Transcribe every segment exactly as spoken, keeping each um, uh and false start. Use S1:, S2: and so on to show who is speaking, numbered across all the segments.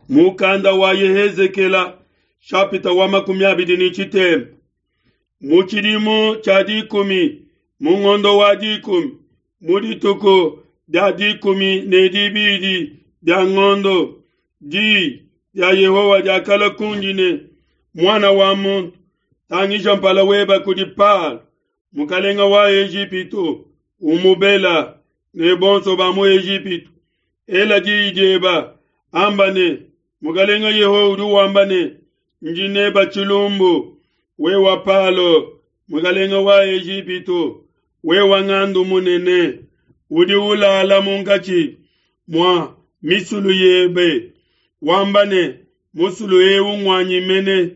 S1: Mukanda wa Yehezekela shapita wa makumi abidi ne tshitema. Mu tshidimu tshia dikumi mu ngondo wa dikumi mu dituku dia dikumi ne dibidi dia ngondo, di dia Yehowa diakalua kundi ne, muana wa muntu, tangija mpala weba kudi Palo, mukalenga wa Ejipitu, umubela ne bonso ba mu Ejipitu. Ela diyi dieba, amba ne, mukalenga Yehowa udi wamba ne, ndi neba tshilumbu, wewa Palo, mukalenga wa Ejipitu, wewa ngandu munene, udi ulala munkatshi mua misulu yebe, wamba ne, musulu ewu ngwanyi mene,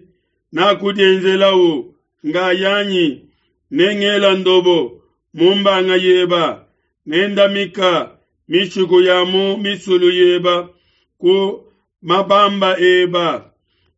S1: nakudienzelawu ngayanyi, nengela ndobo mumbanga yeba, nendamika mishiku ya mu misulu yeba ku mabamba eba,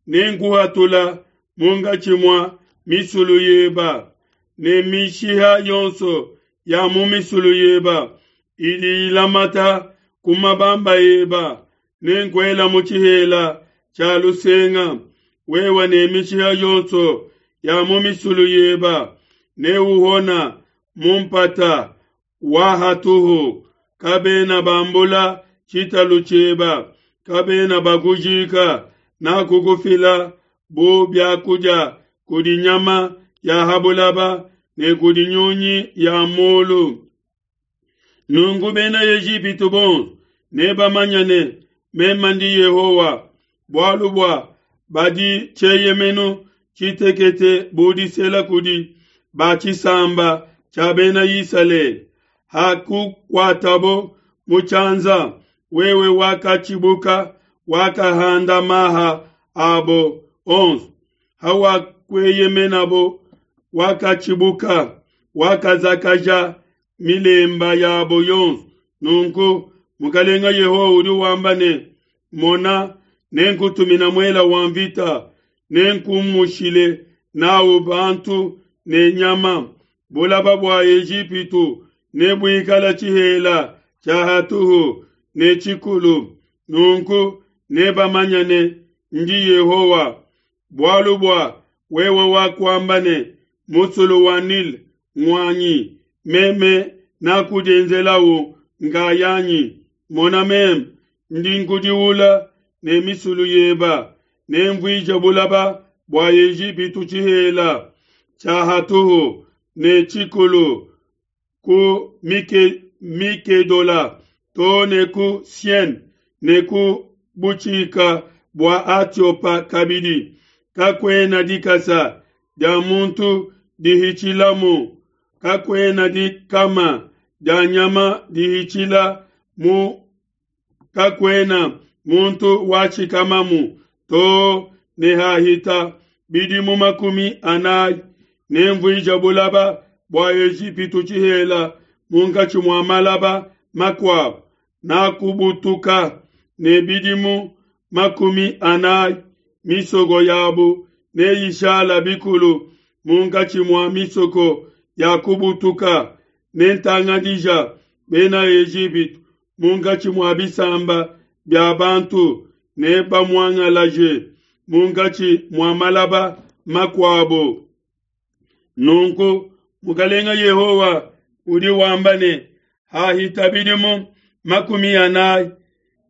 S1: nenkuhatula munkatshi mua misulu yeba, ne mishiha yonso ya mu misulu yeba idi ilamata ku mabamba eba, nenkuela mu tshihela tshia lusenga, wewa ne mishiha yonso ya mu misulu yeba, neuhona mu mpata wa hatuhu, kabena bambula tshitalu tshieba, kabena bakujika, nakukufila bu biakudia kudi nyama ya habulaba ne kudi nyunyi ya mulu. Nunku bena Ejipitu bonso nebamanye ne meme ndi Yehowa, bualu bua badi tshieyemenu tshitekete budisela kudi ba tshisamba tshia bena Isalele. Hakukuatabo mu tshianza, wewe wakatshibuka, wakahanda maha abo onso. Hawakueyemenabo, wakatshibuka, wakazakaja milemba yabo yonso. Nunku mukalenga Yehowa udi wamba ne, mona, nenkutumina muela wa mvita, nenkumushile nawu bantu ne nyama. Bulaba bua Ejipitu nebuikala tshihela tshia hatuhu ne tshikulu. Nunku nebamanye ne ndi Yehowa. Bualu bua wewe wakuamba ne, musulu wa Nile ngwanyi, meme nakudienzelawu ngayanyi. Mona, meme ndi nkudiula ne misulu yeba, nemvuije bulaba bua Ejipitu tshihela tshia hatuhu ne tshikulu ku Mike, Mikedola to ne ku Sien ne ku butshika bua Atiopa kabidi. Kakuena dikasa dia muntu dihitshilamu, kakuena dikama dia nyama dihitshila mu, kakuena muntu washikamamu to ne hahita bidimu makumi anayi. Nemvuija bulaba bua Ejipitu tshihela munkatshi mua malaba makuabu, nakubutuka ne bidimu makumi anayi. Misoko yabu neyishala bikulu munkatshi mua misoko ya kubutuka. Nentangadija bena Ejipitu munkatshi mua bisamba bia bantu, nebamuangalaje munkatshi mua malaba makuabu. Nunku mukalenga Yehowa udi wamba ne, hahita bidimu makumi anayi,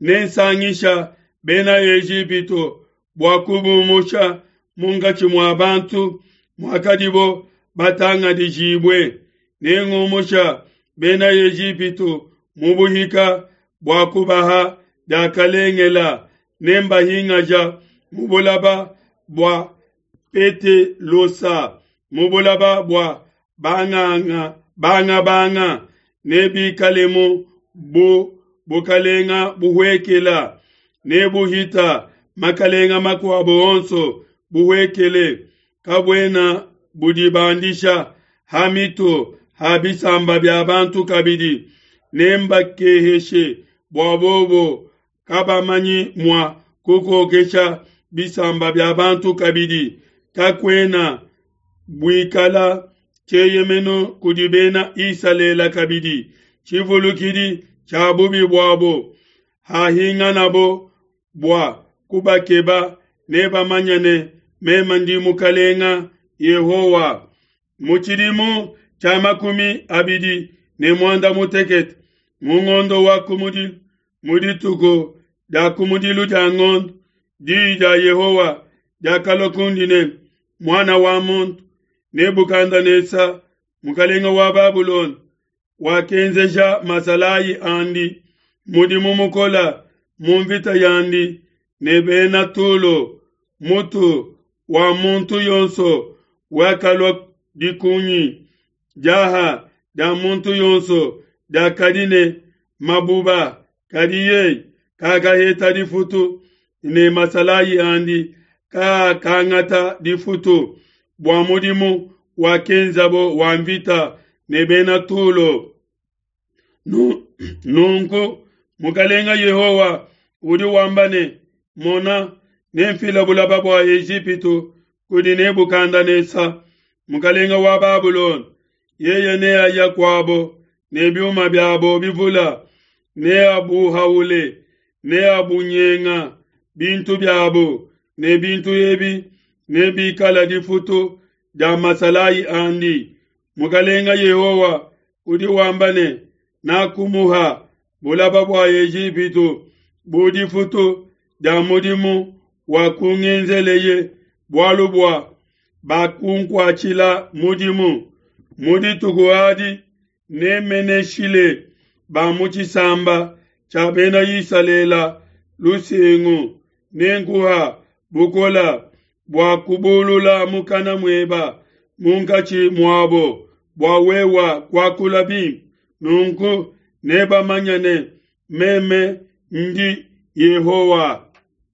S1: nensangisha bena Ejipitu bua kubumusha munkatshi mua bantu muakadibo batangadijibue. Nengumusha bena Ejipitu mu buhika bua kubaha diakalengela, nembahingaja mu bulaba bua Petelosa, mu bulaba bua banganga bangabanga, nebikalemu bu bukalenga buhwekela, nebuhita makalenga makuabo onso buhwekele. Kabuena budibandisha ha mitu ha bisamba bia bantu kabidi. Nembakeheshe bua bobo kabamanyi mua kukokesha bisamba bia bantu kabidi. Kakuena buikala tshieyemenu kudi bena Isalele kabidi, tshivulukidi tshia bubi buabo. Hahinganabo bua kubakeba, nebamanye ne, meme ndi Mukalenga Yehowa. Mu tshidimu tshia makumi abidi ne muanda mutekete, mu ngondo wa kumudilu, mu dituku dia kumudilu dia ngondo, diyi dia Yehowa diakalua kundi ne, muana wa muntu, Nebukadnesa, mukalenga wa Babulona, wakenzeja masalayi andi mudimu mukola mu mvita yandi ne bena Tulo. Mutu wa muntu yonso wakalua dikunyi, diaha dia muntu yonso diakadi ne mabuba, kadi yeye kakaheta difutu, ne masalayi andi kaakangata difutu bua mudimu wakenzabo wa mvita ne bena Tulo. Nunku Mukalenga Yehowa udi wamba ne, Mona, nemfile bulaba bua Ejipitu kudi Nebukadnesa, mukalenga wa Babulona. Yeye neaya kuabo ne biuma biabo bivula, neabuhaule, neabunyenga bintu biabo, ne bintu ebi nebikala difutu dia masalayi andi. Mukalenga Yehowa udi wamba ne, nakumuha bulaba bua Ejipitu bu difutu dia mudimu wakungenzeleye, bualu bua bakunkuatshila mudimu. Mu dituku adi nemeneshile ba mu tshisamba tshia bena Isalele lusengu, nenkuha bukola bua kubulula mukana mueba munkatshi muabo, bua wewa kuakula bimpe. Nunku nebamanye ne, meme ndi Yehowa.